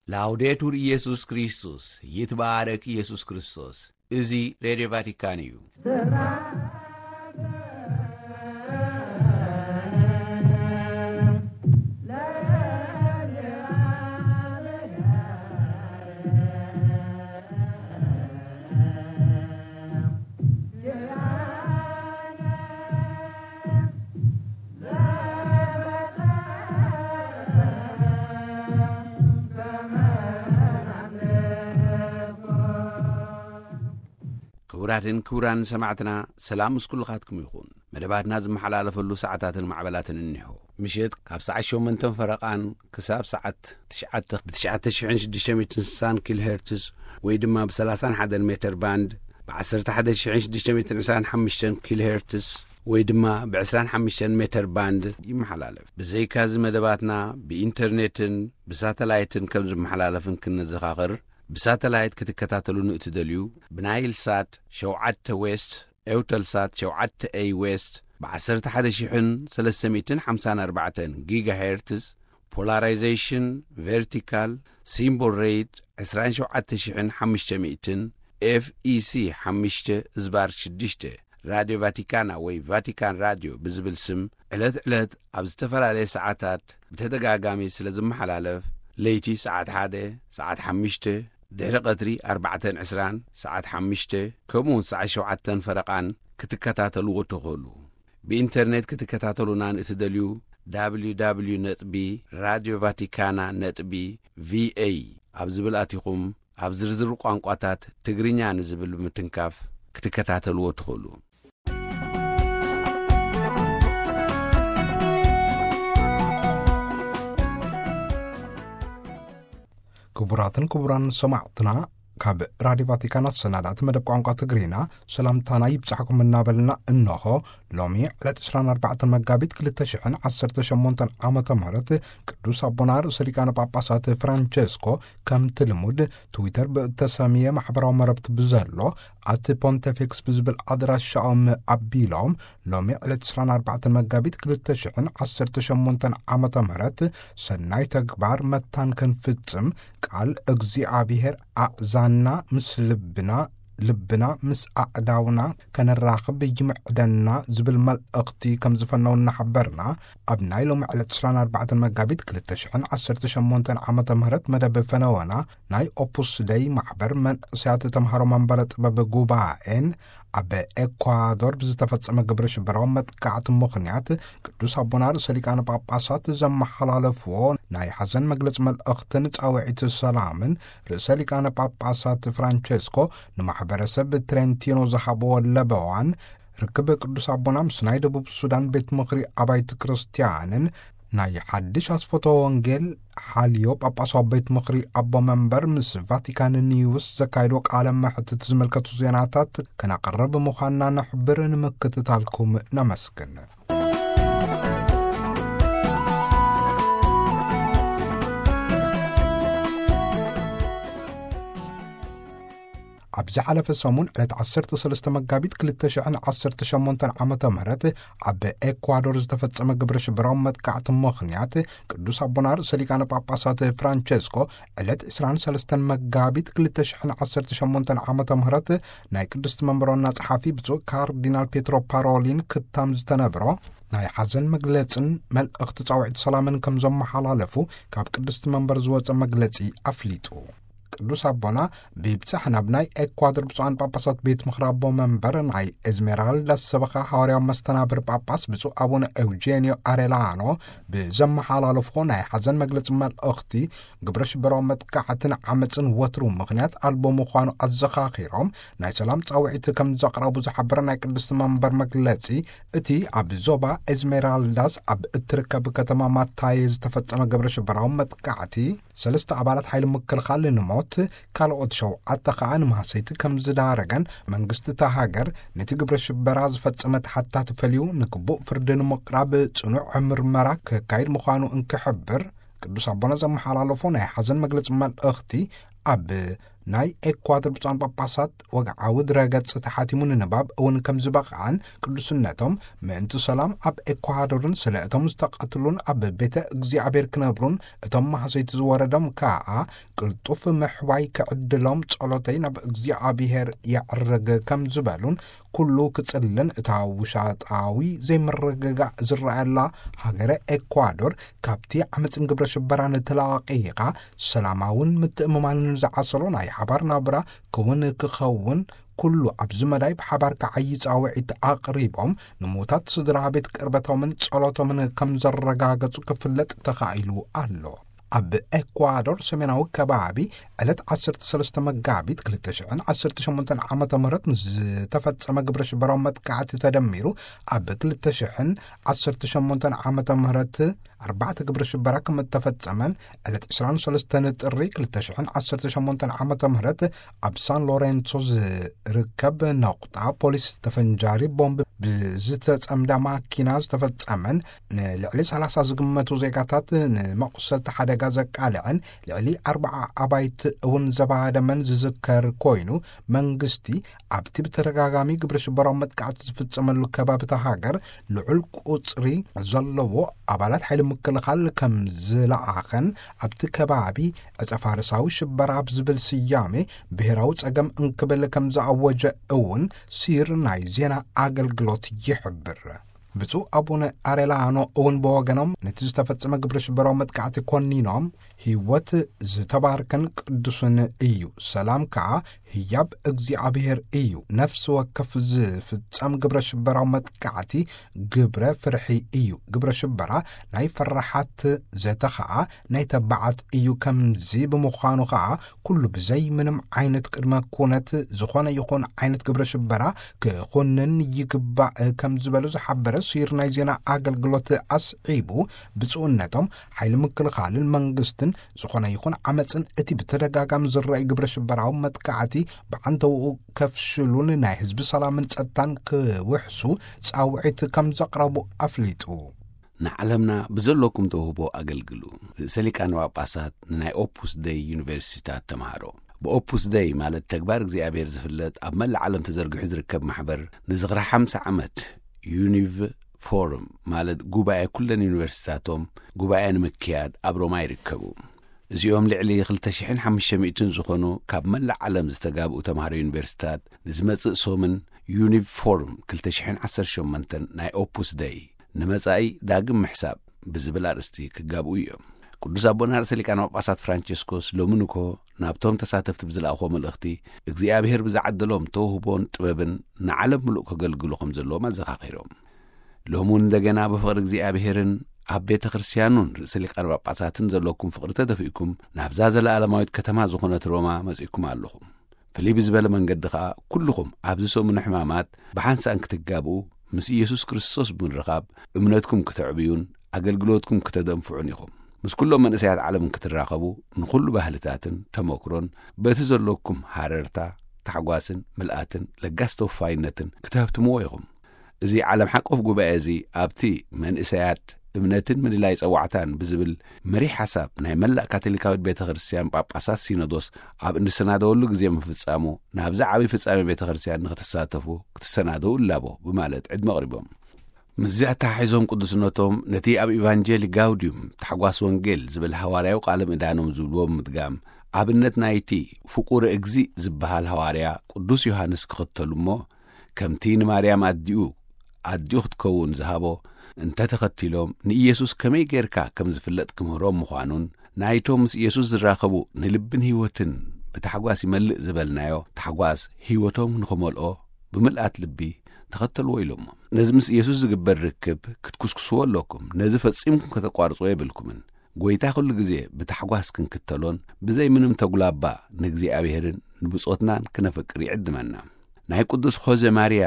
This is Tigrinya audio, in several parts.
ላውዴቱር ኢየሱስ ክርስቶስ፣ ይትባረክ ኢየሱስ ክርስቶስ። እዚ ሬድዮ ቫቲካን እዩ። ክቡራትን ክቡራን ሰማዕትና፣ ሰላም ምስ ኩልኻትኩም ይኹን። መደባትና ዝመሓላለፈሉ ሰዓታትን ማዕበላትን እኒሆ። ምሸት ካብ ሰዓት ሸሞንተን ፈረቓን ክሳብ ሰዓት ትሽዓተ ብ ትሽዓተ ሽሕን ሽዱሽተ ሚእትን ስሳን ኪሎ ሄርትዝ ወይ ድማ ብ ሰላሳን ሓደን ሜተር ባንድ፣ ብ ዓሰርተ ሓደ ሽሕን ሽዱሽተ ሚእትን ዕስራን ሓሙሽተን ኪሎ ሄርትዝ ወይ ድማ ብ ዕስራን ሓሙሽተን ሜተር ባንድ ይመሓላለፍ። ብዘይካዚ መደባትና ብኢንተርኔትን ብሳተላይትን ከም ዝመሓላለፍን ክንዘኻኽር፣ ብሳተላይት ክትከታተሉ ንእትደልዩ፣ ብናይል ሳት ሸውዓተ ዌስት፣ ኤውተል ሳት ሸውዓተ ኤይ ዌስት፣ ብ ዓሰርተ ሓደ ሽሕን ሰለስተ ሚእትን ሓምሳን ኣርባዕተን ጊጋ ሄርትዝ፣ ፖላራይዜሽን ቨርቲካል፣ ሲምቦል ሬት ዕስራን ሸውዓተ ሽሕን ሓሙሽተ ሚእትን፣ ኤፍ ኢ ሲ ሓሙሽተ ዝባር ሽዱሽተ፣ ራድዮ ቫቲካና ወይ ቫቲካን ራድዮ ብዝብል ስም ዕለት ዕለት ኣብ ዝተፈላለየ ሰዓታት ብተደጋጋሚ ስለ ዝመሓላለፍ፣ ለይቲ ሰዓት ሓደ፣ ሰዓት ሓሙሽተ፣ ድሕሪ ቀትሪ ኣርባዕተን ዕስራን፣ ሰዓት ሓሙሽተ፣ ከምኡውን ሰዓት ሸውዓተን ፈረቓን ክትከታተልዎ ትኽእሉ። ብኢንተርኔት ክትከታተሉና ንእትደልዩ፣ ደብሊው ደብሊው ደብሊው ነጥቢ ራድዮ ቫቲካና ነጥቢ ቪ ኤ ኣብ ዝብል ኣቲኹም፣ ኣብ ዝርዝር ቋንቋታት ትግርኛ ንዝብል ብምትንካፍ ክትከታተልዎ ትኽእሉ። ክቡራትን ክቡራን ሰማዕትና፣ ካብ ራድዮ ቫቲካን ኣሰናዳእቲ መደብ ቋንቋ ትግርኛ ሰላምታና ይብጻሕኩም እናበልና፣ እንሆ ሎሚ ዕለት ዕስራን ኣርባዕተን መጋቢት ክልተ ሽሕን ዓሰርተ ሸሞንተን ዓመተ ምህረት ቅዱስ ኣቦና ርእሰ ሊቃነ ጳጳሳት ፍራንቸስኮ ከምቲ ልሙድ ትዊተር ብእተሰምየ ማሕበራዊ መረብቲ ብዘሎ ኣት ፖንቴፊክስ ብዝብል ኣድራሻኦም ኣቢሎም፣ ሎሚ ዕለት ዕስራን ኣርባዕተን መጋቢት ክልተ ሽሕን ዓሰርተ ሸሞንተን ዓመተ ምህረት ሰናይ ተግባር መታን ክንፍጽም ቃል እግዚኣብሔር ኣእዛንና ምስ ልብና፣ ልብና ምስ ኣእዳውና ከነራኽብ ይምዕደና ዝብል መልእኽቲ ከም ዝፈነው እናሓበርና፣ ኣብ ናይ ሎሚ ዕለት ዕስራን ኣርባዕተን መጋቢት ክልተ ሽሕን ዓሰርተ ሸሞንተን ዓመተ ምህረት መደብ ፈነወና ናይ ኦፑስ ደይ ማሕበር መንእሰያት ተምሃሮ መንበረ ጥበብ ጉባኤን ኣብ ኤኳዶር ብዝተፈጸመ ግብረ ሽበራዊ መጥቃዕቲ ምኽንያት ቅዱስ ኣቦና ርእሰ ሊቃነ ጳጳሳት ዘመሓላለፍዎ ናይ ሓዘን መግለጺ መልእኽትን ጻውዒት ሰላምን ርእሰ ሊቃነ ጳጳሳት ፍራንቸስኮ ንማሕበረሰብ ትሬንቲኖ ዝሃብዎ ለበዋን ርክብ ቅዱስ ኣቦና ምስ ናይ ደቡብ ሱዳን ቤት ምኽሪ ኣባይቲ ክርስትያንን ናይ ሓድሽ ኣስፈቶ ወንጌል ሓልዮ ጳጳሳዊ ቤት ምኽሪ ኣቦ መንበር ምስ ቫቲካን ኒውስ ዘካየዶ ቃለ መሕትት ዝምልከቱ ዜናታት ከነቕርብ ምዃንና ነሕብር። ንምክትታልኩም ነመስግን። ኣብ ዝሓለፈ ሰሙን ዕለት ዓሰርተ ሰለስተ መጋቢት ክልተ ሽሕን ዓሰርተ ሸሞንተን ዓመተ ምህረት ኣብ ኤኳዶር ዝተፈጸመ ግብረ ሽበራዊ መጥቃዕቲ ምኽንያት ቅዱስ ኣቦና ርእሰ ሊቃነ ጳጳሳት ፍራንቸስኮ ዕለት ዕስራን ሰለስተን መጋቢት ክልተ ሽሕን ዓሰርተ ሸሞንተን ዓመተ ምህረት ናይ ቅድስቲ መንበር ዋና ጸሓፊ ብፁዕ ካርዲናል ፔትሮ ፓሮሊን ክታም ዝተነብሮ ናይ ሓዘን መግለጽን መልእኽቲ ጻውዒት ሰላምን ከም ዘመሓላለፉ ካብ ቅድስቲ መንበር ዝወጸ መግለጺ ኣፍሊጡ። ቅዱስ ኣቦና ብብጻሕ ናብ ናይ ኤኳዶር ብፁዓን ጳጳሳት ቤት ምኽሪ ኣቦ መንበር ናይ ኤዝሜራልዳ ሰበኻ ሃዋርያዊ መስተናብር ጳጳስ ብፁዕ ኣቡነ ኤውጄንዮ ኣሬላኖ ብዘመሓላለፍዎ ናይ ሓዘን መግለጺ መልእኽቲ፣ ግብረ ሽበራዊ መጥቃዕትን ዓመጽን ወትሩ ምኽንያት ኣልቦ ምዃኑ ኣዘኻኺሮም፣ ናይ ሰላም ጻውዒት ከም ዘቕረቡ ዝሓበረ ናይ ቅድስቲ መንበር መግለጺ፣ እቲ ኣብ ዞባ ኤዝሜራልዳስ ኣብ እትርከብ ከተማ ማታየ ዝተፈጸመ ግብረ ሽበራዊ መጥቃዕቲ፣ ሰለስተ ኣባላት ሓይሊ ምክልኻል ንሞት፣ ካልኦት ሸውዓተ ከኣ ንማህሰይቲ ከም ዝዳረገን፣ መንግስቲ እታ ሃገር ነቲ ግብረ ሽበራ ዝፈጸመ ተሓታቲ ፈልዩ ንግቡእ ፍርዲ ንምቕራብ ጽኑዕ ምርመራ ከካይድ ምዃኑ እንክሕብር፣ ቅዱስ ኣቦና ዘመሓላለፎ ናይ ሓዘን መግለጺ መልእኽቲ ኣብ ናይ ኤኳዶር ብፁዓን ጳጳሳት ወግዓዊ ድረገጽ ተሓቲሙ ንንባብ እውን ከም ዝበቕዓን፣ ቅዱስነቶም ምእንቲ ሰላም ኣብ ኤኳዶርን ስለ እቶም ዝተቐትሉን ኣብ ቤተ እግዚኣብሔር ክነብሩን እቶም ማህሰይቲ ዝወረዶም ከኣ ቅልጡፍ ምሕዋይ ክዕድሎም ጸሎተይ ናብ እግዚኣብሔር የዕርግ ከም ዝበሉን፣ ኩሉ ክጽልን እታ ውሻጣዊ ዘይምርግጋእ ዝረኣየላ ሃገረ ኤኳዶር ካብቲ ዓመጽን ግብረ ሽበራን ተላቒቓ ሰላማውን ምትእምማንን ዝዓሰሎ ናይ ሓባር ናብራ ክውን ክኸውን፣ ኩሉ ኣብዚ መዳይ ብሓባር ክዓዪ ጻውዒት ኣቕሪቦም፣ ንሙታት ስድራ ቤት ቅርበቶምን ጸሎቶምን ከም ዘረጋገጹ ክፍለጥ ተኻኢሉ ኣሎ። ኣብ ኤኳዶር ሰሜናዊ ከባቢ ዕለት ዓሰርተ ሰለስተ መጋቢት ክልተ ሽሕን ዓሰርተ ሸሞንተን ዓመተ ምህረት ንዝተፈጸመ ግብረ ሽበራዊ መጥቃዕቲ ተደሚሩ፣ ኣብ ክልተ ሽሕን ዓሰርተ ሸሞንተን ዓመተ ምህረት ኣርባዕተ ግብረ ሽበራ ከም እተፈጸመን፣ ዕለት ዕስራን ሰለስተን ጥሪ ክልተ ሽሕን ዓሰርተ ሸሞንተን ዓመተ ምህረት ኣብ ሳን ሎሬንሶ ዝርከብ ነቑጣ ፖሊስ ተፈንጃሪ ቦምብ ብዝተጸምዳ ማኪና ዝተፈጸመን፣ ንልዕሊ ሰላሳ ዝግመቱ ዜጋታት ንመቑሰልቲ ሓደጋ ዘቃልዐን፣ ልዕሊ ኣርባዓ ኣባይቲ እውን ዘባደመን ዝዝከር ኮይኑ፣ መንግስቲ ኣብቲ ብተደጋጋሚ ግብረ ሽበራዊ መጥቃዕቲ ዝፍጸመሉ ከባብታ ሃገር ልዑል ቁጽሪ ዘለዎ ኣባላት ሓይሊ ምክልኻል ከም ዝለኣኸን፣ ኣብቲ ከባቢ ዕጸ ፋርሳዊ ሽበራ ብዝብል ስያሜ ብሔራዊ ጸገም እንክብል ከም ዝኣወጀ እውን ሲር ናይ ዜና ኣገልግሎት ይሕብር። ብፁዕ ኣቡነ ኣሬላኖ እውን ብወገኖም ነቲ ዝተፈጸመ ግብረ ሽበራዊ መጥቃዕቲ ኮኒኖም፣ ህይወት ዝተባርከን ቅዱስን እዩ፣ ሰላም ከኣ ህያብ እግዚኣብሔር እዩ። ነፍሲ ወከፍ ዝፍጸም ግብረ ሽበራዊ መጥቃዕቲ ግብረ ፍርሒ እዩ። ግብረ ሽበራ ናይ ፈራሓት፣ ዘተ ኸኣ ናይ ተባዓት እዩ። ከምዚ ብምዃኑ ኸኣ ኩሉ ብዘይ ምንም ዓይነት ቅድመ ኩነት ዝኾነ ይኹን ዓይነት ግብረ ሽበራ ክኹንን ይግባእ ከም ዝበሉ ዝሓበረ ሲር ናይ ዜና ኣገልግሎት ኣስዒቡ፣ ብፁዕነቶም ሓይሊ ምክልኻልን መንግስትን ዝኾነ ይኹን ዓመፅን እቲ ብተደጋጋሚ ዝረኣይ ግብረ ሽበራዊ መጥቃዕቲ ብዓንተውኡ ከፍሽሉን ናይ ህዝቢ ሰላምን ጸጥታን ክውሕሱ ጻውዒት ከም ዘቕረቡ ኣፍሊጡ። ንዓለምና ብዘለኩም ተውህቦ ኣገልግሉ። ርእሰ ሊቃነ ጳጳሳት ንናይ ኦፑስ ደይ ዩኒቨርሲቲታት ተምሃሮ። ብኦፑስ ደይ ማለት ተግባር እግዚኣብሔር ዝፍለጥ ኣብ መላእ ዓለም ተዘርጊሑ ዝርከብ ማሕበር ንዝኽሪ ሓምሳ ዓመት ዩኒቭ ፎርም ማለት ጉባኤ ኩለን ዩኒቨርሲቲታቶም ጉባኤ ንምክያድ ኣብ ሮማ ይርከቡ። እዚኦም ልዕሊ ክልተ ሽሕን ሓሙሽተ ሚእትን ዝኾኑ ካብ መላእ ዓለም ዝተጋብኡ ተምሃሮ ዩኒቨርሲቲታት ንዝመጽእ ሶምን ዩኒቭ ፎርም ክልተ ሽሕን ዓሰርተ ሸሞንተን ናይ ኦፑስ ደይ ንመጻኢ ዳግም ምሕሳብ ብዝብል ኣርእስቲ ክጋብኡ እዮም። ቅዱስ ኣቦና ርእሰ ሊቃነ ጳጳሳት ፍራንቸስኮስ ሎሚ ንኮ ናብቶም ተሳተፍቲ ብዝለኣኽዎ መልእኽቲ እግዚኣብሔር ብዝዓደሎም ተውህቦን ጥበብን ንዓለም ምሉእ ከገልግሉ ከም ዘለዎም ኣዘኻኺሮም። ሎሚ እውን እንደገና ብፍቕሪ እግዚኣብሔርን ኣብ ቤተ ክርስቲያኑን ርእሰ ሊቃነ ጳጳሳትን ዘለኩም ፍቕሪ ተደፊእኩም ናብዛ ዘለኣለማዊት ከተማ ዝኾነት ሮማ መጺእኩም ኣለኹም። ፍልይ ብዝበለ መንገዲ ኸኣ ኩልኹም ኣብዚ ሰሙነ ሕማማት ብሓንሳእን ክትጋብኡ ምስ ኢየሱስ ክርስቶስ ብምርኻብ እምነትኩም ክተዕብዩን ኣገልግሎትኩም ክተደንፍዑን ኢኹም። ምስ ኩሎም መንእሰያት ዓለም ክትራኸቡ ንኹሉ ባህልታትን ተመክሮን በቲ ዘለኩም ሃረርታ፣ ታሕጓስን ምልኣትን ለጋስ ተወፋይነትን ክተህብትምዎ ኢኹም። እዚ ዓለም ሓቆፍ ጉባኤ እዚ ኣብቲ መንእሰያት እምነትን ምልላይ ጸዋዕታን ብዝብል መሪሕ ሓሳብ ናይ መላእ ካቶሊካዊት ቤተ ክርስቲያን ጳጳሳት ሲኖዶስ ኣብ እንሰናደወሉ ግዜ ምፍጻሙ ናብዚ ዓብዪ ፍጻሜ ቤተ ክርስቲያን ንክትሳተፉ ክትሰናደው እላቦ ብማለት ዕድመ ኣቕሪቦም። ምስዚ ኣተሓሒዞም ቅዱስነቶም ነቲ ኣብ ኢቫንጀሊ ጋውዲዩም ታሕጓስ ወንጌል ዝብል ሃዋርያዊ ቃለ ምእዳኖም ዝብልዎ ብምድጋም ኣብነት ናይቲ ፍቁር እግዚእ ዝበሃል ሃዋርያ ቅዱስ ዮሃንስ ክኽተሉ እሞ ከምቲ ንማርያም ኣዲኡ ኣዲኡ ክትከውን ዝሃቦ እንተተኸቲሎም ንኢየሱስ ከመይ ጌርካ ከም ዝፍለጥ ክምህሮም ምዃኑን ናይቶም ምስ ኢየሱስ ዝራኸቡ ንልብን ህይወትን ብታሕጓስ ይመልእ ዝበልናዮ ታሕጓስ ህይወቶም ንኽመልኦ ብምልኣት ልቢ ተኸተልዎ ኢሎሞ። ነዚ ምስ ኢየሱስ ዝግበር ርክብ ክትኩስኩስዎ ኣለኩም። ነዚ ፈጺምኩም ከተቋርጽዎ የብልኩምን። ጐይታ ኩሉ ግዜ ብታሕጓስ ክንክተሎን ብዘይ ምንም ተጉላባ ንእግዚኣብሔርን ንብጾትናን ክነፍቅር ይዕድመና። ናይ ቅዱስ ኾዘ ማርያ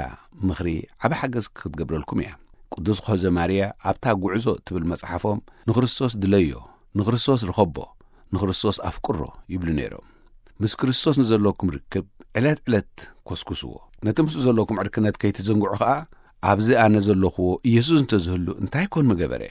ምኽሪ ዓቢ ሓገዝ ክትገብረልኩም እያ። ቅዱስ ኾዘ ማርያ ኣብታ ጉዕዞ ትብል መጽሓፎም ንክርስቶስ ድለዮ፣ ንክርስቶስ ርኸቦ፣ ንክርስቶስ ኣፍቅሮ ይብሉ ነይሮም። ምስ ክርስቶስ ንዘለኩም ርክብ ዕለት ዕለት ኮስኩስዎ። ነቲ ምስኡ ዘለኩም ዕርክነት ከይትዘንግዑ ኸኣ ኣብዚ ኣነ ዘለኹዎ ኢየሱስ እንተዝህሉ እንታይ ኮን ምገበረ?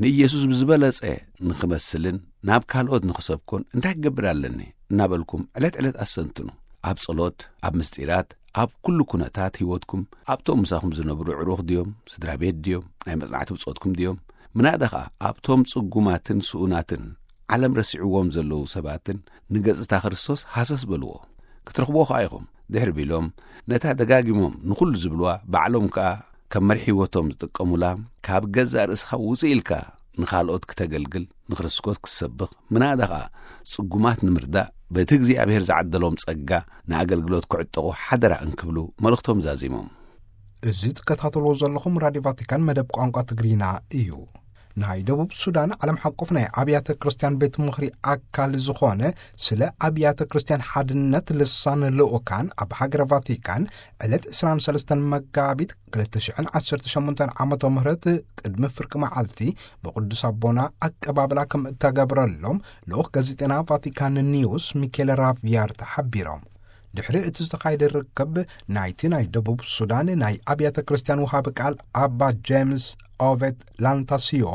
ንኢየሱስ ብዝበለጸ ንኽመስልን ናብ ካልኦት ንኽሰብኮን እንታይ ክገብር ኣለኒ እናበልኩም ዕለት ዕለት ኣሰንትኑ። ኣብ ጸሎት፣ ኣብ ምስጢራት፣ ኣብ ኩሉ ኩነታት ህይወትኩም ኣብቶም ምሳኹም ዝነብሩ ዕሩኽ ድዮም፣ ስድራ ቤት ድዮም፣ ናይ መጽናዕቲ ብጾትኩም ድዮም፣ ምናዳ ኸኣ ኣብቶም ጽጉማትን ስኡናትን ዓለም ረሲዕዎም ዘለዉ ሰባትን ንገጽታ ክርስቶስ ሃሰስ በልዎ። ክትረኽብዎ ኸኣ ኢኹም። ድሕሪ ቢሎም ነታ ደጋጊሞም ንኹሉ ዝብልዋ ባዕሎም ከኣ ከም መሪሕ ህይወቶም ዝጥቀሙላ፣ ካብ ገዛእ ርእስኻ ውጽእ ኢልካ ንኻልኦት ክተገልግል፣ ንክርስቶስ ክትሰብኽ፣ ምናዳ ኸኣ ጽጉማት ንምርዳእ በቲ እግዚኣብሔር ዝዓደሎም ጸጋ ንኣገልግሎት ክዕጠቑ ሓደራ እንክብሉ መልእኽቶም ዛዚሞም። እዚ ትከታተልዎ ዘለኹም ራድዮ ቫቲካን መደብ ቋንቋ ትግርኛ እዩ። ናይ ደቡብ ሱዳን ዓለም ሓቆፍ ናይ ኣብያተ ክርስቲያን ቤት ምኽሪ ኣካል ዝኾነ ስለ ኣብያተ ክርስቲያን ሓድነት ልሳን ልኡካን ኣብ ሃገረ ቫቲካን ዕለት ዕስራን ሰለስተን መጋቢት ክልተ ሽሕን ዓሰርተ ሸሞንተን ዓመተ ምህረት ቅድሚ ፍርቂ መዓልቲ ብቅዱስ ኣቦና ኣቀባብላ ከም እተገብረሎም ልኡኽ ጋዜጠና ቫቲካን ኒውስ ሚኬል ራቪያር ተሓቢሮም። ድሕሪ እቲ ዝተኻየደ ርክብ ናይቲ ናይ ደቡብ ሱዳን ናይ ኣብያተ ክርስቲያን ውሃቢ ቃል ኣባ ጄምስ ኦቬት ላንታሲዮ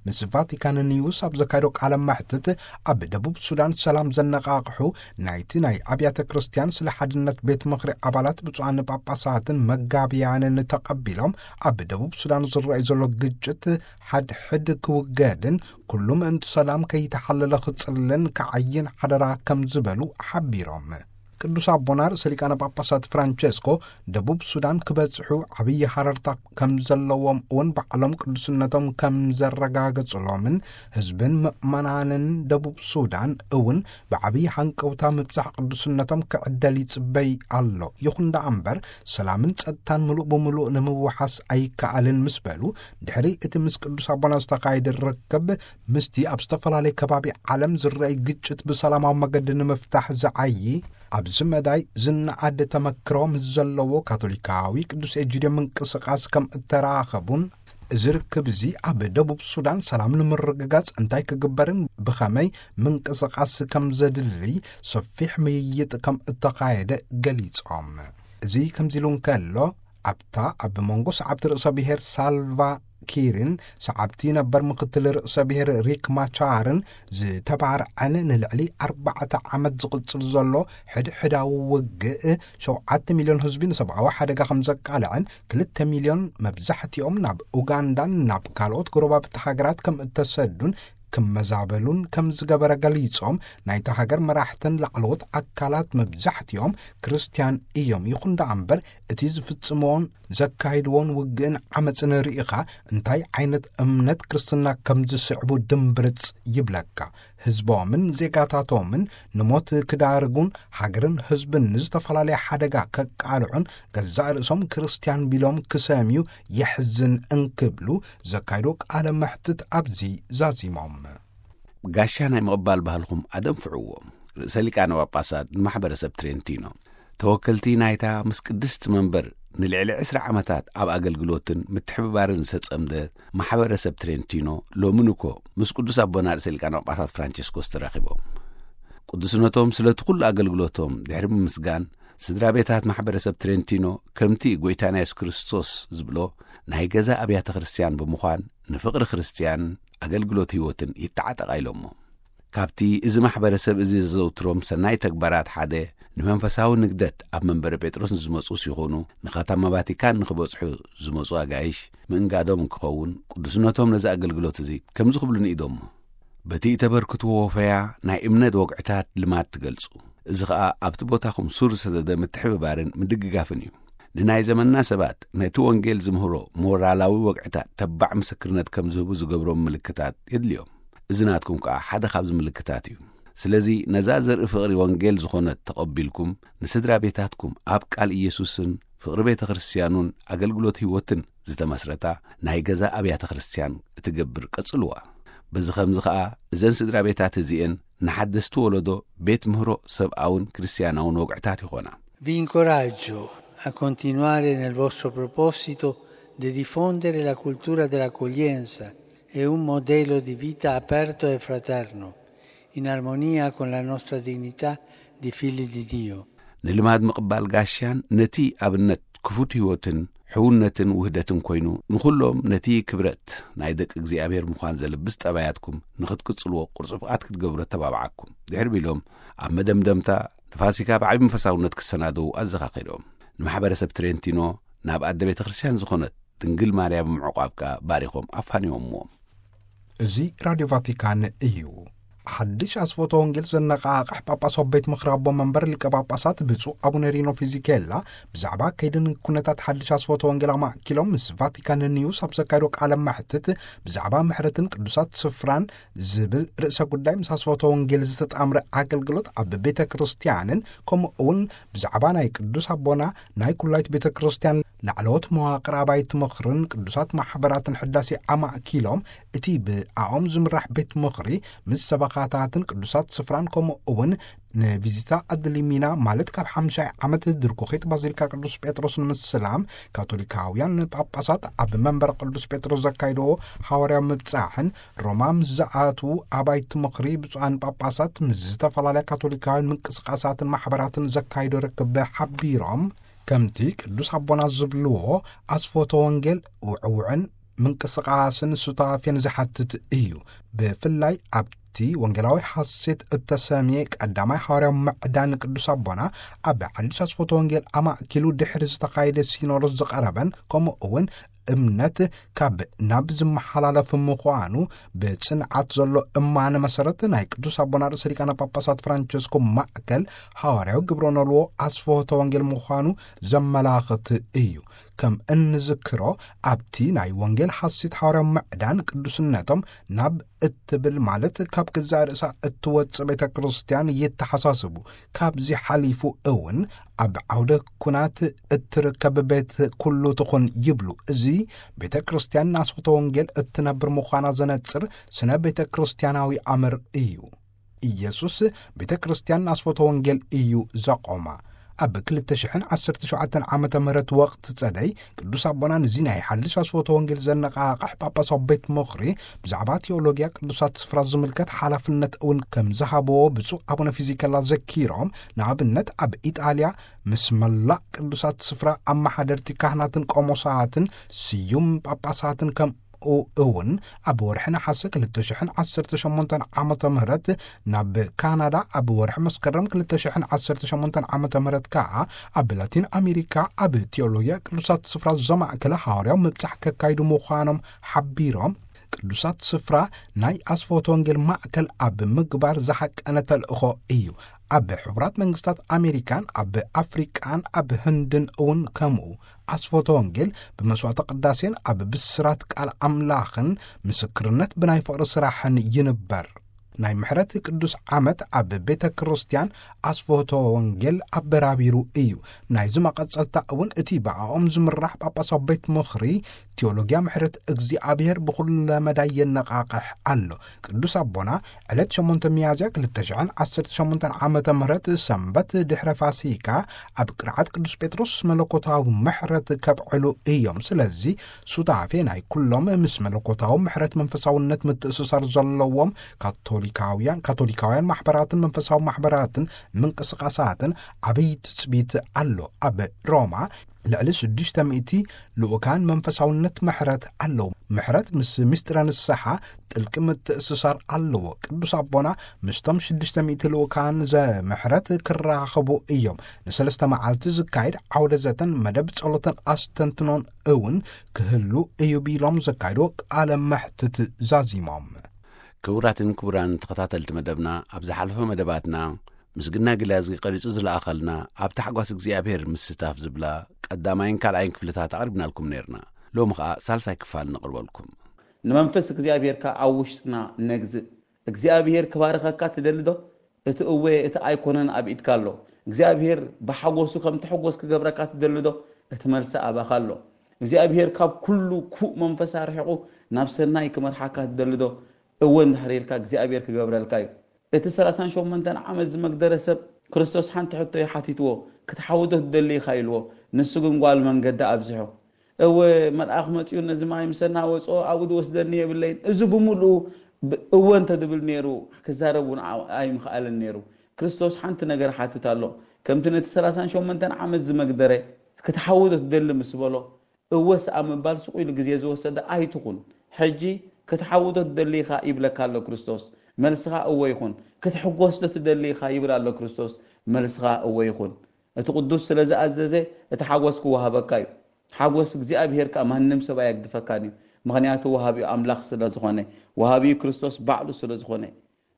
ምስ ቫቲካን ኒውስ ኣብ ዘካየዶ ቃለ መሕትት ኣብ ደቡብ ሱዳን ሰላም ዘነቓቕሑ ናይቲ ናይ ኣብያተ ክርስቲያን ስለ ሓድነት ቤት ምኽሪ ኣባላት ብፁዓን ጳጳሳትን መጋቢያንን ተቐቢሎም ኣብ ደቡብ ሱዳን ዝረኣዩ ዘሎ ግጭት ሓድሕድ ክውገድን ኩሉ ምእንቲ ሰላም ከይተሓለለ ክጽልን ክዓይን ሓደራ ከም ዝበሉ ሓቢሮም። ቅዱስ ኣቦና ርእሰ ሊቃነ ጳጳሳት ፍራንቸስኮ ደቡብ ሱዳን ክበጽሑ ዓብዪ ሃረርታ ከም ዘለዎም እውን ባዕሎም ቅዱስነቶም ከም ዘረጋገጹሎምን ህዝብን ምእመናንን ደቡብ ሱዳን እውን ብዓብዪ ሃንቀውታ ምብጻሕ ቅዱስነቶም ክዕደል ይጽበይ ኣሎ። ይኹን ደኣ እምበር ሰላምን ጸጥታን ምሉእ ብምሉእ ንምውሓስ ኣይከኣልን ምስ በሉ ድሕሪ እቲ ምስ ቅዱስ ኣቦና ዝተኻየደ ርክብ ምስቲ ኣብ ዝተፈላለየ ከባቢ ዓለም ዝረኣይ ግጭት ብሰላማዊ መገዲ ንምፍታሕ ዝዓዪ ኣብዚ መዳይ ዝነኣድ ተመክሮ ምስ ዘለዎ ካቶሊካዊ ቅዱስ ኤጂድዮ ምንቅስቓስ ከም እተራኸቡን እዚ ርክብ እዚ ኣብ ደቡብ ሱዳን ሰላም ንምርግጋጽ እንታይ ክግበርን ብኸመይ ምንቅስቓስ ከም ዘድልይ ሰፊሕ ምይይጥ ከም እተኻየደ ገሊጾም። እዚ ከምዚ ኢሉ እንከሎ ኣብታ ኣብ መንጎ ሰዓብቲ ርእሰ ብሔር ሳልቫ ኪርን ሰዓብቲ ነበር ምክትል ርእሰ ብሔር ሪክ ማቻርን ዝተባርዐን ንልዕሊ ኣርባዕተ ዓመት ዝቕጽል ዘሎ ሕድሕዳዊ ውግእ ሸውዓተ ሚልዮን ህዝቢ ንሰብኣዊ ሓደጋ ከም ዘቃልዐን ክልተ ሚልዮን መብዛሕትኦም ናብ ኡጋንዳን ናብ ካልኦት ጎረባብቲ ሃገራት ከም እተሰዱን ክመዛበሉን ከም ዝገበረ ገሊጾም ናይታ ሃገር መራሕትን ላዕለዎት ኣካላት መብዛሕትኦም ክርስትያን እዮም። ይኹን ደኣ እምበር እቲ ዝፍጽምዎን ዘካይድዎን ውግእን ዓመፅን ርኢኻ እንታይ ዓይነት እምነት ክርስትና ከም ዝስዕቡ ድምብርፅ ይብለካ። ህዝቦምን ዜጋታቶምን ንሞት ክዳርጉን ሃገርን ህዝብን ንዝተፈላለየ ሓደጋ ከቃልዑን ገዛእ ርእሶም ክርስትያን ቢሎም ክሰምዩ የሕዝን እንክብሉ ዘካይዶ ቃለ መሕትት ኣብዚ ዛዚሞም። ጋሻ ናይ ምቕባል ባህልኹም ኣደንፍዕዎ። ርእሰ ሊቃነ ጳጳሳት ንማሕበረሰብ ትሬንቲኖ ተወከልቲ ናይታ ምስ ቅድስቲ መንበር ንልዕሊ ዕስራ ዓመታት ኣብ ኣገልግሎትን ምትሕብባርን ዝተጸምደ ማሕበረሰብ ትሬንቲኖ ሎሚ ንኮ ምስ ቅዱስ ኣቦና ርእሰ ሊቃነ ጳጳሳት ፍራንቸስኮስ ተራኺቦም። ቅዱስነቶም ስለቲ ኩሉ ኣገልግሎቶም ድሕሪ ምምስጋን ስድራ ቤታት ማሕበረሰብ ትሬንቲኖ ከምቲ ጎይታና የሱስ ክርስቶስ ዝብሎ ናይ ገዛ ኣብያተ ክርስቲያን ብምዃን ንፍቕሪ ክርስቲያን ኣገልግሎት ህይወትን ይተዓጠቓ ኢሎሞ። ካብቲ እዚ ማሕበረሰብ እዚ ዘዘውትሮም ሰናይ ተግባራት ሓደ ንመንፈሳዊ ንግደት ኣብ መንበረ ጴጥሮስ ንዝመጹ ሲኾኑ ንኸተማ ቫቲካን ንኽበጽሑ ዝመጹ ኣጋይሽ ምእንጋዶም እንክኸውን ቅዱስነቶም ነዚ ኣገልግሎት እዚ ከምዚ ክብሉ ንኢዶሞ። በቲ እተበርክትዎ ወፈያ ናይ እምነት ወግዕታት ልማድ ትገልጹ። እዚ ኸኣ ኣብቲ ቦታኹም ሱር ዝሰደደ ምትሕብባርን ምድግጋፍን እዩ። ንናይ ዘመንና ሰባት ነቲ ወንጌል ዝምህሮ ሞራላዊ ወግዕታት ተባዕ ምስክርነት ከም ዝህቡ ዝገብሮም ምልክታት የድልዮም። እዚ ናትኩም ከኣ ሓደ ካብዚ ምልክታት እዩ። ስለዚ ነዛ ዘርኢ ፍቕሪ ወንጌል ዝኾነት ተቐቢልኩም ንስድራ ቤታትኩም ኣብ ቃል ኢየሱስን ፍቕሪ ቤተ ክርስቲያኑን ኣገልግሎት ህይወትን ዝተመስረታ ናይ ገዛ ኣብያተ ክርስቲያን እትገብር ቀጽልዋ። በዚ ኸምዚ ኸኣ እዘን ስድራ ቤታት እዚኤን ንሓደስቲ ወለዶ ቤት ምህሮ ሰብኣውን ክርስቲያናውን ወግዕታት ይኾና። Vi incoraggio a continuare nel vostro proposito di diffondere la cultura dell'accoglienza e un modello di vita aperto e fraterno, in armonia con la nostra dignità di figli di Dio. ንልማድ ምቕባል ጋሻን ነቲ ኣብነት ክፉት ህይወትን ሕውነትን ውህደትን ኮይኑ፣ ንኹሎም ነቲ ክብረት ናይ ደቂ እግዚኣብሔር ምዃን ዘልብስ ጠባያትኩም ንኽትቅጽልዎ ቁርጽ ፍቓድ ክትገብሩ ኣተባብዓኩም። ድሕሪ ቢሎም ኣብ መደምደምታ ንፋሲካ ብዓቢ መንፈሳውነት ክሰናደዉ ኣዘኻኺሮም። ንማሕበረሰብ ትሬንቲኖ ናብ ኣደ ቤተ ክርስቲያን ዝኾነት ድንግል ማርያም ምዕቋብ ከኣ ባሪኾም ኣፋንዮምዎም። እዚ ራድዮ ቫቲካን እዩ። ሓድሽ ኣስፎተ ወንጌል ዘነቓቕሕ ጳጳሳዊ ቤት ምኽሪ ኣቦ መንበር ሊቀ ጳጳሳት ብፁዕ ኣቡነ ሪኖ ፊዚኬላ ብዛዕባ ከይድን ኩነታት ሓድሽ ኣስፎተ ወንጌል ኣማእኪሎም ምስ ቫቲካን ኒውስ ኣብ ዘካየዶ ቃለ መሕትት፣ ብዛዕባ ምሕረትን ቅዱሳት ስፍራን ዝብል ርእሰ ጉዳይ ምስ ኣስፎተ ወንጌል ዝተጣምረ ኣገልግሎት ኣብ ቤተ ክርስቲያንን ከምኡ እውን ብዛዕባ ናይ ቅዱስ ኣቦና ናይ ኩላይት ቤተ ክርስቲያን ላዕለዎት መዋቕር ኣባይቲ ምኽርን ቅዱሳት ማሕበራትን ሕዳሴ ኣማእኪሎም፣ እቲ ብኣኦም ዝምራሕ ቤት ምኽሪ ምስ ሰበኻታትን ቅዱሳት ስፍራን ከምኡ እውን ንቪዚታ ኣድሊሚና ማለት ካብ ሓምሻይ ዓመት ድርኩኺት ባዚሊካ ቅዱስ ጴጥሮስ ንምስላም ካቶሊካውያን ጳጳሳት ኣብ መንበር ቅዱስ ጴጥሮስ ዘካይድዎ ሃዋርያዊ ምብጻሕን ሮማ ምስ ዝኣትዉ ኣባይቲ ምኽሪ ብፁዓን ጳጳሳት ምስ ዝተፈላለያ ካቶሊካውያን ምንቅስቃሳትን ማሕበራትን ዘካይዶ ርክብ ሓቢሮም፣ ከምቲ ቅዱስ ኣቦና ዝብልዎ ኣስፎተ ወንጌል ውዕውዕን ምንቅስቃስን ሱታፌን ዝሓትት እዩ። ብፍላይ ኣብቲ ወንጌላዊ ሓሴት እተሰምየ ቀዳማይ ሃዋርያዊ ምዕዳን ቅዱስ ኣቦና ኣብ ሓድሽ ኣስፎተ ወንጌል ኣማእኪሉ ድሕሪ ዝተኻየደ ሲኖዶስ ዝቐረበን ከምኡ እውን እምነት ካብ ናብ ዝመሓላለፍ ምዃኑ ብጽንዓት ዘሎ እማነ መሰረት ናይ ቅዱስ ኣቦና ርእሰ ሊቃነ ጳጳሳት ፍራንቸስኮ ማእከል ሃዋርያዊ ግብረ ኖልዎ ኣስፍሆተ ወንጌል ምዃኑ ዘመላኽት እዩ። ከም እንዝክሮ ኣብቲ ናይ ወንጌል ሓሲት ሃዋርያዊ ምዕዳን ቅዱስነቶም ናብ እትብል ማለት ካብ ገዛእ ርእሳ እትወጽእ ቤተ ክርስቲያን ይተሓሳስቡ። ካብዚ ሓሊፉ እውን ኣብ ዓውደ ኩናት እትርከብ ቤት ኩሉ ትኹን ይብሉ። እዚ ቤተ ክርስቲያን ንኣስፍሆተ ወንጌል እትነብር ምዃና ዘነጽር ስነ ቤተ ክርስቲያናዊ ኣምር እዩ። ኢየሱስ ቤተ ክርስቲያን ንኣስፍሆተ ወንጌል እዩ ዘቖማ። ኣብ ክልተ ሽሕን ዓሰርተ ሸውዓተን ዓመተ ምህረት ወቕቲ ጸደይ ቅዱስ ኣቦና ነዚ ናይ ሓድሽ ኣስፍሆተ ወንጌል ዘነቓቕሕ ጳጳሳዊ ቤት ምኽሪ ብዛዕባ ቴዎሎጊያ ቅዱሳት ስፍራ ዝምልከት ሓላፍነት እውን ከም ዝሃብዎ ብፁዕ ኣቡነ ፊዚከላ ዘኪሮም፣ ንኣብነት ኣብ ኢጣልያ ምስ መላእ ቅዱሳት ስፍራ ኣመሓደርቲ ካህናትን ቆሞሳትን ስዩም ጳጳሳትን ከም እውን ኣብ ወርሒ ነሓሰ ክልተ ሽሕን ዓሰርተ ሸሞንተን ዓመተ ምህረት፣ ናብ ካናዳ ኣብ ወርሒ መስከረም ክልተ ሽሕን ዓሰርተ ሸሞንተን ዓመተ ምህረት ከኣ ኣብ ላቲን ኣሜሪካ ኣብ ቴዎሎጊያ ቅዱሳት ስፍራ ዘማእከለ ሃዋርያዊ ምብጻሕ ከካይዱ ምዃኖም ሓቢሮም፣ ቅዱሳት ስፍራ ናይ ኣስፍሆተ ወንጌል ማእከል ኣብ ምግባር ዝሓቀነ ተልእኾ እዩ። ኣብ ሕቡራት መንግስታት ኣሜሪካን ኣብ ኣፍሪቃን ኣብ ህንድን እውን ከምኡ ኣስፍሆተ ወንጌል ብመስዋዕተ ቅዳሴን ኣብ ብስራት ቃል ኣምላኽን ምስክርነት ብናይ ፍቕሪ ስራሕን ይንበር። ናይ ምሕረት ቅዱስ ዓመት ኣብ ቤተ ክርስቲያን ኣስፍሆተ ወንጌል ኣበራቢሩ እዩ። ናይዚ መቐጸልታ እውን እቲ ብኣኦም ዝምራሕ ጳጳሳዊ ቤት ምኽሪ ቴዎሎጊያ ምሕረት እግዚኣብሔር ብኹለ መዳይ የነቓቕሕ ኣሎ። ቅዱስ ኣቦና ዕለት ሸሞንተ ሚያዝያ ክልተ ሽሕን ዓሰርተ ሸሞንተን ዓመተ ምህረት ሰንበት ድሕረ ፋሲካ ኣብ ቅርዓት ቅዱስ ጴጥሮስ መለኮታዊ ምሕረት ከብዕሉ እዮም። ስለዚ ሱታፌ ናይ ኩሎም ምስ መለኮታዊ ምሕረት መንፈሳውነት ምትእስሳር ዘለዎም ካቶሊካውያን፣ ካቶሊካውያን ማሕበራትን መንፈሳዊ ማሕበራትን ምንቅስቃሳትን ዓብይ ትጽቢት ኣሎ። ኣብ ሮማ ልዕሊ ሽዱሽተ ሚእቲ ልኡካን መንፈሳውነት ምሕረት ኣለዉ። ምሕረት ምስ ምስጢረ ንስሓ ጥልቂ ምትእስሳር ኣለዎ። ቅዱስ ኣቦና ምስቶም ሽዱሽተ ሚእቲ ልኡካን ዘምሕረት ክራኸቡ እዮም። ንሰለስተ መዓልቲ ዝካየድ ዓውደ ዘተን መደብ ጸሎትን ኣስተንትኖን እውን ክህሉ እዩ ቢሎም ዘካየድዎ ቃለ መሕትት ዛዚሞም። ክቡራትን ክቡራን ተኸታተልቲ መደብና፣ ኣብ ዝሓለፈ መደባትና ምስግና ግላዝጊ ቀሪጹ ዝለኣኸልና ኣብ ታሕጓስ እግዚኣብሔር ምስታፍ ዝብላ ቀዳማይን ካልኣይን ክፍልታት ኣቕሪብናልኩም ነይርና። ሎሚ ኸኣ ሳልሳይ ክፋል ነቕርበልኩም። ንመንፈስ እግዚኣብሔር ከኣ ኣብ ውሽጥና ነግዝእ። እግዚኣብሔር ክባርኸካ ትደሊ ዶ? እቲ እወ፣ እቲ ኣይኮነን ኣብ ኢድካ ኣሎ። እግዚኣብሔር ብሓጎሱ ከም ትሕጎስ ክገብረካ ትደሊ ዶ? እቲ መልሲ ኣባኻ ኣሎ። እግዚኣብሔር ካብ ኩሉ ክፉእ መንፈስ ኣርሒቑ ናብ ሰናይ ክመርሓካ ትደሊ ዶ? እወ እንድሕር ኢልካ እግዚኣብሔር ክገብረልካ እዩ። እቲ ሰላሳን ሸሞንተን ዓመት ዝመግደረ ሰብ ክርስቶስ ሓንቲ ሕቶ እዩ ሓቲትዎ፣ "ክትሓዊ ዶ ትደሊ ኢኻ?" ኢልዎ። ንሱ ግን ጓል መንገዲ ኣብዚሑ፣ "እወ፣ መልኣኽ መጺኡ ነዚ ማይ ምስ ኣናወጾ ኣብኡ ዝወስደኒ የብለይን።" እዚ ብምሉኡ ብ-፣ እወ እንተ ድብል ነይሩ፣ ክዛረብ እውን ኣ-፣ ኣይምኽኣልን ነይሩ። ክርስቶስ ሓንቲ ነገር ሓትት ኣሎ። ከምቲ ነቲ ሰላሳን ሸሞንተን ዓመት ዝመግደረ ክትሓውዶ ትደሊ ምስ በሎ፣ እወ ሰኣ ምባል ስቕ ኢሉ ግዜ ዝወሰደ ኣይትኹን። ሕጂ ክትሓውዶ ትደሊ ኢኻ ይብለካ ኣሎ ክርስቶስ። መልስኻ እወ ይኹን። ክትሕጎስ ዶ ትደሊ ኢኻ ይብል ኣሎ ክርስቶስ። መልስኻ እወ ይኹን። እቲ ቅዱስ ስለ ዝኣዘዘ እቲ ሓጎስ ክወሃበካ እዩ። ሓጎስ እግዚኣብሄር ከኣ ማንም ሰብ ኣየግድፈካን እዩ። ምኽንያቱ ወሃቢኡ ኣምላኽ ስለ ዝኾነ፣ ወሃቢኡ ክርስቶስ ባዕሉ ስለ ዝኾነ፣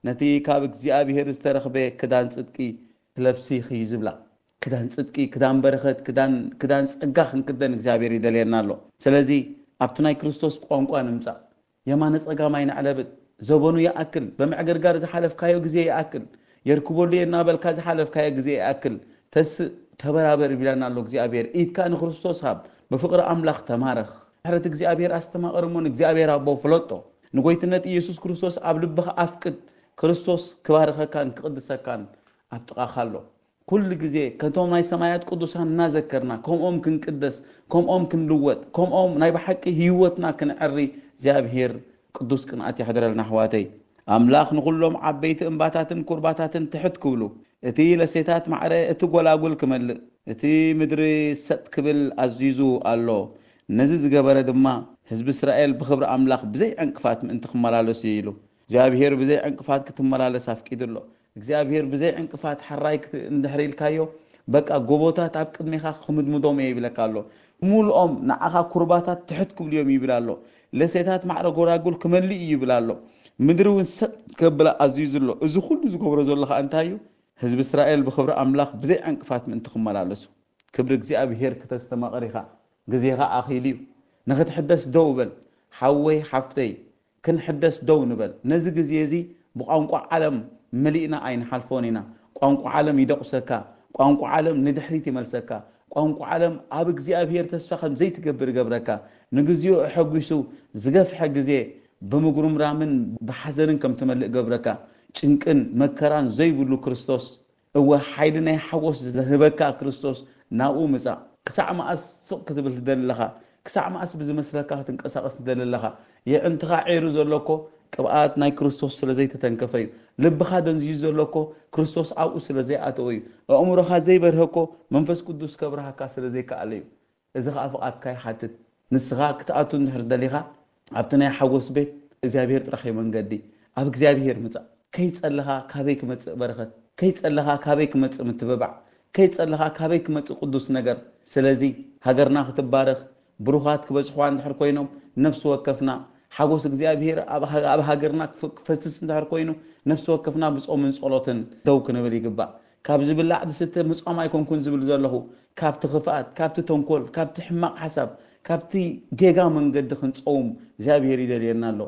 ነቲ ካብ እግዚኣብሄር ዝተረኽበ ክዳን ጽድቂ ትለብሲ ኢኺ እዩ ዝብላ። ክዳን ጽድቂ፣ ክዳን በረኸት፣ ክዳን፣ ክዳን ጸጋ ክንክደን እግዚኣብሄር ይደልየና ኣሎ። ስለዚ ኣብቲ ናይ ክርስቶስ ቋንቋ ንምጻእ። የማነ ጸጋም ኣይነዕለብን። ዘበኑ ይኣክል፣ በምዕግርጋር ዝሓለፍካዮ ግዜ ይኣክል፣ የርክበሉ እየ እናበልካ ዝሓለፍካዮ ግዜ ይኣክል። ተስእ፣ ተበራበር ይብለና ኣሎ እግዚኣብሄር። ኢድካ ንክርስቶስ ሃብ፣ ብፍቕሪ ኣምላኽ ተማረኽ። ምሕረት እግዚኣብሄር ኣስተማቕር እሞ ንእግዚኣብሄር ኣቦ ፍለጦ። ንጎይትነት ኢየሱስ ክርስቶስ ኣብ ልብኻ ኣፍቅድ። ክርስቶስ ክባርኸካን ክቕድሰካን ኣብ ጥቓኻ ኣሎ። ኩሉ ግዜ ከቶም ናይ ሰማያት ቅዱሳን እናዘከርና፣ ከምኦም ክንቅደስ፣ ከምኦም ክንልወጥ፣ ከምኦም ናይ ብሓቂ ህይወትና ክንዕሪ እግዚኣብሄር ቅዱስ ቅንኣት የሕድረልና ኣሕዋተይ። ኣምላኽ ንኹሎም ዓበይቲ እምባታትን ኩርባታትን ትሕት ክብሉ፣ እቲ ለሴታት ማዕረ እቲ ጎላጉል ክመልእ፣ እቲ ምድሪ ሰጥ ክብል ኣዚዙ ኣሎ። ነዚ ዝገበረ ድማ ህዝቢ እስራኤል ብኽብሪ ኣምላኽ ብዘይ ዕንቅፋት ምእንቲ ክመላለሱ እዩ ኢሉ። እግዚኣብሄር ብዘይ ዕንቅፋት ክትመላለስ ኣፍቂዱ ኣሎ። እግዚኣብሄር ብዘይ ዕንቅፋት ሓራይ ክት-፣ እንድሕር ኢልካዮ፣ በቃ ጎቦታት ኣብ ቅድሜኻ ክምድምዶም እየ ይብለካ ኣሎ። ሙሉኦም ንዓኻ ኩርባታት ትሕት ክብሉ እዮም ይብል ኣሎ። ለሴታት ማዕረ ጎራጉል ክመልእ እዩ ይብል ኣሎ። ምድሪ እውን ሰጥ ከብላ ኣዝዩ ዘሎ። እዚ ኩሉ ዝገብሮ ዘሎ ኸኣ እንታይ እዩ? ህዝቢ እስራኤል ብኽብሪ ኣምላኽ ብዘይ ዕንቅፋት ምእንቲ ክመላለሱ። ክብሪ እግዚኣብሄር ክተስተማቕር ኢኻ። ግዜኻ ኣኺሉ እዩ። ንኽትሕደስ ደው በል። ሓወይ፣ ሓፍተይ፣ ክንሕደስ ደው ንበል። ነዚ ግዜ እዚ ብቋንቋ ዓለም መሊእና ኣይንሓልፎን ኢና። ቋንቋ ዓለም ይደቑሰካ። ቋንቋ ዓለም ንድሕሪት ይመልሰካ። ቋንቋ ዓለም ኣብ እግዚኣብሄር ተስፋ ከም ዘይትገብር ይገብረካ። ንግዜኡ ኣሐጒሱ ዝገፍሐ ግዜ ብምጉርምራምን ብሓዘንን ከም ትመልእ ገብረካ። ጭንቅን መከራን ዘይብሉ ክርስቶስ፣ እወ፣ ሓይሊ ናይ ሓጎስ ዝህበካ ክርስቶስ ናብኡ ምጻእ። ክሳዕ መኣስ ስቕ ክትብል ትደሊ ኣለኻ? ክሳዕ መኣስ ብዝመስለካ ክትንቀሳቐስ ትደሊ ኣለኻ? የዕንትኻ ዒሩ ዘሎ እኮ ቅብኣት ናይ ክርስቶስ ስለ ዘይተተንከፈ እዩ። ልብኻ ደንዝዩ ዘሎ እኮ ክርስቶስ ኣብኡ ስለ ዘይኣተወ እዩ። ኣእምሮኻ ዘይበርሀ እኮ መንፈስ ቅዱስ ከብርሃካ ስለ ዘይከኣለ እዩ። እዚ ኸኣ ፍቓድካ ይሓትት። ንስኻ ክትኣቱ እንድሕር ደሊኻ፣ ኣብቲ ናይ ሓጎስ ቤት እግዚኣብሄር ጥራሕ እዩ መንገዲ። ኣብ እግዚኣብሄር ምጻእ። ከይጸለኻ ካበይ ክመጽእ በረኸት? ከይጸለኻ ካበይ ክመጽእ ምትብባዕ? ከይጸለኻ ካበይ ክመጽእ ቅዱስ ነገር? ስለዚ ሃገርና ክትባረኽ፣ ብሩኻት ክበዝሕዋ እንድሕር ኮይኖም፣ ነፍሲ ወከፍና ሓጎስ እግዚኣብሄር ኣብ ሃ-፣ ኣብ ሃገርና ክፍ-፣ ክፈስስ እንድሕር ኮይኑ፣ ነፍሲ ወከፍና ብጾምን ጸሎትን ደው ክንብል ይግባእ። ካብ ዝብላዕ ዝስተ ምጾም ኣይኮንኩን ዝብል ዘለኹ፣ ካብቲ ክፍኣት፣ ካብቲ ተንኮል፣ ካብቲ ሕማቕ ሓሳብ፣ ካብቲ ጌጋ መንገዲ ክንጸውም እግዚኣብሄር ይደልየና ኣሎ።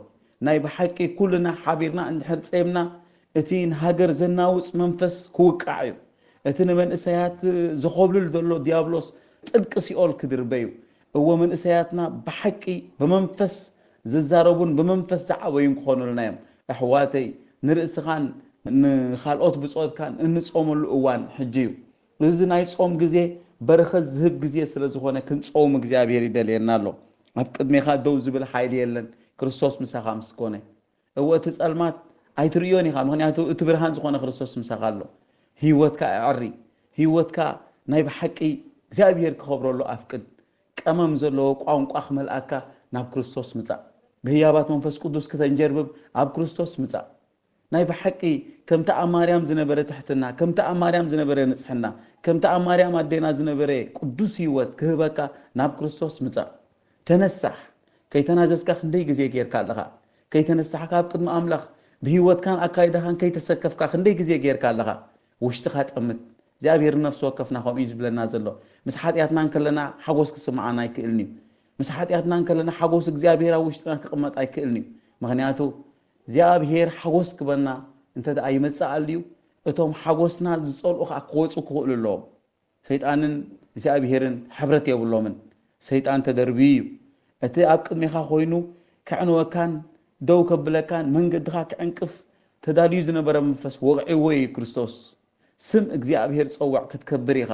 ናይ ብሓቂ ኩልና ሓቢርና እንድሕር ጸይምና፣ እቲ ንሃገር ዘናውጽ መንፈስ ክውቃዕ እዩ። እቲ ንመንእሰያት ዘኾብልል ዘሎ ዲያብሎስ ጥልቂ ሲኦል ክድርበ እዩ። እወ፣ መንእሰያትና ብሓቂ ብመንፈስ ዝዛረቡን ብመንፈስ ዝዓበዩን ክኾኑልና እዮም። ኣሕዋተይ፣ ንርእስኻን ንኻልኦት ብጾትካን እንጾመሉ እዋን ሕጂ እዩ። እዚ ናይ ጾም ግዜ በረኸት ዝህብ ግዜ ስለ ዝኾነ ክንጸውም እግዚኣብሄር ይደልየና ኣሎ። ኣብ ቅድሜኻ ደው ዝብል ሓይሊ የለን፣ ክርስቶስ ምሳኻ ምስ ኮነ። እወ፣ እቲ ጸልማት ኣይትርእዮን ኢኻ፣ ምኽንያቱ እቲ ብርሃን ዝኾነ ክርስቶስ ምሳኻ ኣሎ። ህይወትካ ኣዕሪ፣ ህይወትካ ናይ ብሓቂ እግዚኣብሄር ክኸብረሉ ኣፍቅድ። ቀመም ዘለዎ ቋንቋ ክመልኣካ ናብ ክርስቶስ ምጻእ። ብህያባት መንፈስ ቅዱስ ክተንጀርብብ ኣብ ክርስቶስ ምጻእ። ናይ ብሓቂ ከምቲ ኣብ ማርያም ዝነበረ ትሕትና፣ ከምቲ ኣብ ማርያም ዝነበረ ንጽሕና፣ ከምቲ ኣብ ማርያም ኣዴና ዝነበረ ቅዱስ ህይወት ክህበካ ናብ ክርስቶስ ምጻእ። ተነሳሕ። ከይተናዘዝካ ክንደይ ግዜ ጌርካ ኣለኻ? ከይተነሳሕካ ኣብ ቅድሚ ኣምላኽ ብህይወትካን ኣካይዳኻን ከይተሰከፍካ ክንደይ ግዜ ጌርካ ኣለኻ? ውሽጥኻ ጠምት። እግዚኣብሔር ንነፍሲ ወከፍና ከምኡ እዩ ዝብለና ዘሎ። ምስ ሓጢኣትና እንከለና ሓጎስ ክስምዓና ኣይክእልን እዩ። ምስ ሓጢኣትና እንከለና ሓጎስ እግዚኣብሔር ኣብ ውሽጥና ክቕመጥ ኣይክእልን እዩ። ምኽንያቱ እግዚኣብሔር ሓጎስ ክበና እንተ ደኣ ይመጽእ ኣልዩ፣ እቶም ሓጎስና ዝጸልኡ ኸኣ ክወጹ ክኽእሉ ኣለዎም። ሰይጣንን እግዚኣብሔርን ሕብረት የብሎምን። ሰይጣን ተደርብዩ እዩ። እቲ ኣብ ቅድሜኻ ኮይኑ ከዕንወካን ደው ከብለካን መንገድኻ ክዕንቅፍ ተዳልዩ ዝነበረ መንፈስ ወቕዕዎ እዩ ክርስቶስ። ስም እግዚኣብሔር ጸውዕ ክትከብር ኢኻ።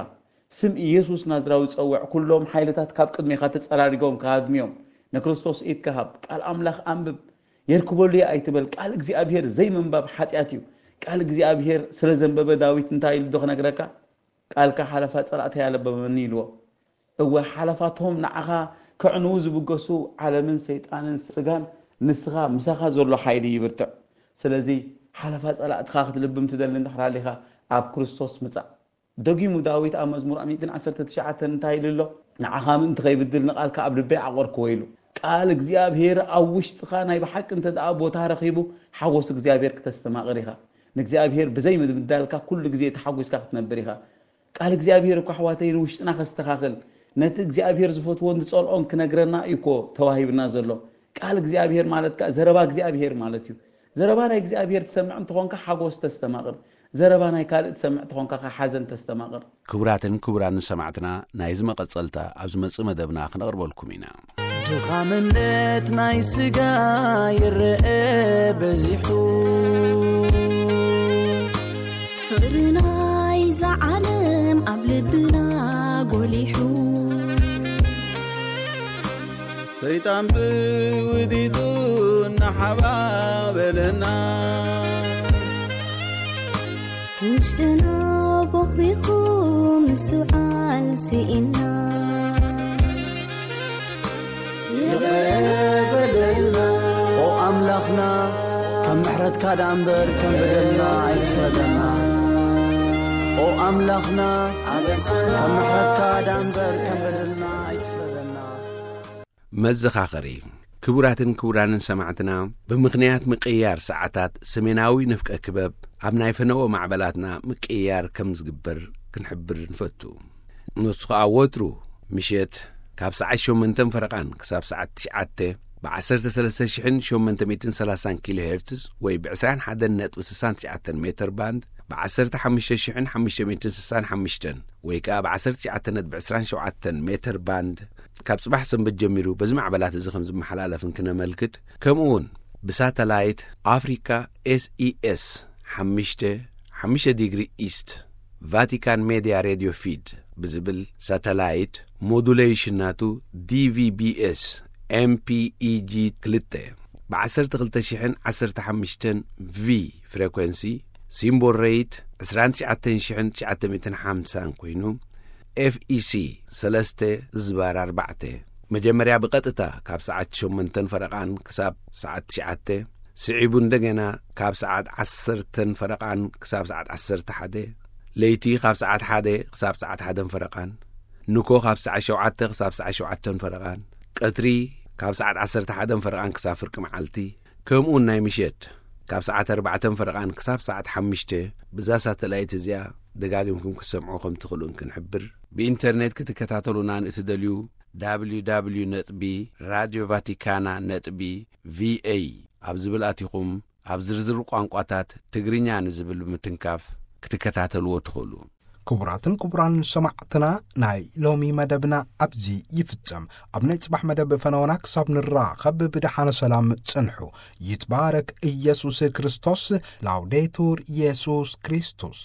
ስም ኢየሱስ ናዝራዊ ጸውዕ ኩሎም ሓይልታት ካብ ቅድሜኻ ተጸራሪጎም ክሃድሙ እዮም። ንክርስቶስ ኢድካ ሃብ። ቃል ኣምላኽ ኣንብብ። የርክበሉ እየ ኣይትበል። ቃል እግዚኣብሔር ዘይምንባብ ሓጢኣት እዩ። ቃል እግዚኣብሔር ስለ ዘንበበ ዳዊት እንታይ ኢሉ ዶ ክነግረካ? "ቃልካ ሓለፋ ጸላእተይ ኣለበመኒ" ኢልዎ። እወ፣ ሓለፋቶም ንዓኻ ከዕንዉ ዝብገሱ ዓለምን ሰይጣንን ስጋን፣ ንስኻ ምሳኻ ዘሎ ሓይሊ ይብርትዕ። ስለዚ ሓለፋ ጸላእትኻ ክትልብም ትደሊ እንድሕር ሃሊኻ፣ ኣብ ክርስቶስ ምጻእ። ደጊሙ ዳዊት ኣብ መዝሙር ሚእትን ዓሰርተ ትሽዓተን እንታይ ኢሉ ኣሎ? "ንዓኻ ምእንቲ ከይብድል ንቓልካ ኣብ ልበይ ዓቖርክዎ" ኢሉ። ቃል እግዚኣብሔር ኣብ ውሽጥኻ ናይ ብሓቂ እንተ ደኣ ቦታ ረኺቡ፣ ሓጎስ እግዚኣብሔር ክተስተማቕር ኢኻ። ንእግዚኣብሔር ብዘይ ምብዳልካ ኩሉ ግዜ ተሓጒስካ ክትነብር ኢኻ። ቃል እግዚኣብሔር እኮ ኣሕዋተይ ንውሽጥና ከስተኻኽል፣ ነቲ እግዚኣብሔር ዝፈትዎን ዝጸልኦን ክነግረና እዩ እኮ ተዋሂብና ዘሎ። ቃል እግዚኣብሔር ማለት ከኣ ዘረባ እግዚኣብሔር ማለት እዩ። ዘረባ ናይ እግዚኣብሔር ትሰምዕ እንተኾንካ ሓጎስ ተስተማቕር፣ ዘረባ ናይ ካልእ ትሰምዕ እንተኾንካ ከኣ ሓዘን ተስተማቕር። ክቡራትን ክቡራን ሰማዕትና፣ ናይዚ መቐጸልታ ኣብ ዝመጽእ መደብና ክነቕርበልኩም ኢና። ድኻምነት ናይ ስጋ ይረአ በዚሑ፣ ፍቕሪ ናይዛ ዓለም ኣብ ልብና ጎሊሑ። ሰይጣን ብውዲቱ እናሓባበለና፣ ውሽጥና ቦኽቢኹ ምስትውዓል ስኢና። ይቕረ በለልና። ኦ ኣምላኽና፣ ከም ምሕረትካ ደኣ እምበር ከም በደልና ኣይትፍረደና። ኦ ኣምላኽና፣ ከም ምሕረትካ ደኣ እምበር ከም በደልና ኣይትፍረደና። መዘኻኸሪ። ክቡራትን ክቡራንን ሰማዕትና፣ ብምኽንያት ምቅይያር ሰዓታት ሰሜናዊ ንፍቀ ክበብ ኣብ ናይ ፈነወ ማዕበላትና ምቅይያር ከም ዝግበር ክንሕብር ንፈቱ። ንሱ ኸኣ ወትሩ ምሸት ካብ ሰዓት ሸሞንተን ፈረቓን ክሳብ ሰዓት ትሽዓተ ብ ዓሰርተ ሰለስተ ሽሕን ሸሞንተ ሚእትን ሰላሳን ኪሎ ሄርትዝ ወይ ብ ዕስራን ሓደን ነጥቢ ስሳን ትሽዓተን ሜተር ባንድ፣ ብ ዓሰርተ ሓሙሽተ ሽሕን ሓሙሽተ ሚእትን ስሳን ሓሙሽተን ወይ ከኣ ብ ዓሰርተ ትሽዓተ ነጥቢ ዕስራን ሸውዓተን ሜተር ባንድ፣ ካብ ጽባሕ ሰንበት ጀሚሩ በዚ ማዕበላት እዚ ከም ዝመሓላለፍን ክነመልክት፣ ከምኡ እውን ብሳተላይት ኣፍሪካ ኤስኢኤስ ሓሙሽተ፣ ሓሙሽተ ዲግሪ ኢስት፣ ቫቲካን ሜድያ ሬድዮ ፊድ ብዝብል ሳተላይት፣ ሞዱሌሽን ናቱ ዲቪቢኤስ ኤምፒኢጂ ክልተ፣ ብ ዓሰርተ ክልተ ሽሕን ዓሰርተ ሓሙሽተን ቪ ፍሬኮንሲ፣ ሲምቦል ሬይት ዕስራን ትሽዓተን ሽሕን ትሽዓተ ሚእትን ሓምሳን ኮይኑ፣ ኤፍኢሲ ሰለስተ ዝባር ኣርባዕተ፣ መጀመርያ ብቐጥታ ካብ ሰዓት ሸሞንተን ፈረቓን ክሳብ ሰዓት ትሽዓተ፣ ስዒቡ እንደገና ካብ ሰዓት ዓሰርተን ፈረቓን ክሳብ ሰዓት ዓሰርተ ሓደ፣ ለይቲ ካብ ሰዓት ሓደ ክሳብ ሰዓት ሓደን ፈረቓን፣ ንኮ ካብ ሰዓት ሸውዓተ ክሳብ ሰዓት ሸውዓተን ፈረቓን፣ ቀትሪ ካብ ሰዓት ዓሰርተ ሓደን ፈረቓን ክሳብ ፍርቂ መዓልቲ፣ ከምኡውን ናይ ምሸት ካብ ሰዓት ኣርባዕተን ፈረቓን ክሳብ ሰዓት ሓሙሽተ ብዛ ሳተላይት እዚኣ ደጋጊምኩም ክትሰምዑ ከም ትኽእሉን ክንሕብር። ብኢንተርኔት ክትከታተሉና ንእትደልዩ፣ www ነጥቢ ራድዮ ቫቲካና ነጥቢ ቪኤ ኣብ ዝብል ኣቲኹም፣ ኣብ ዝርዝር ቋንቋታት ትግርኛ ንዝብል ብምትንካፍ ክትከታተልዎ ትኽእሉ። ክቡራትን ክቡራን ሰማዕትና፣ ናይ ሎሚ መደብና ኣብዚ ይፍጸም። ኣብ ናይ ጽባሕ መደብ ፈነወና ክሳብ ንራኸብ ብደሓነ ሰላም ጽንሑ። ይትባረክ ኢየሱስ ክርስቶስ። ላውዴቱር ኢየሱስ ክርስቶስ።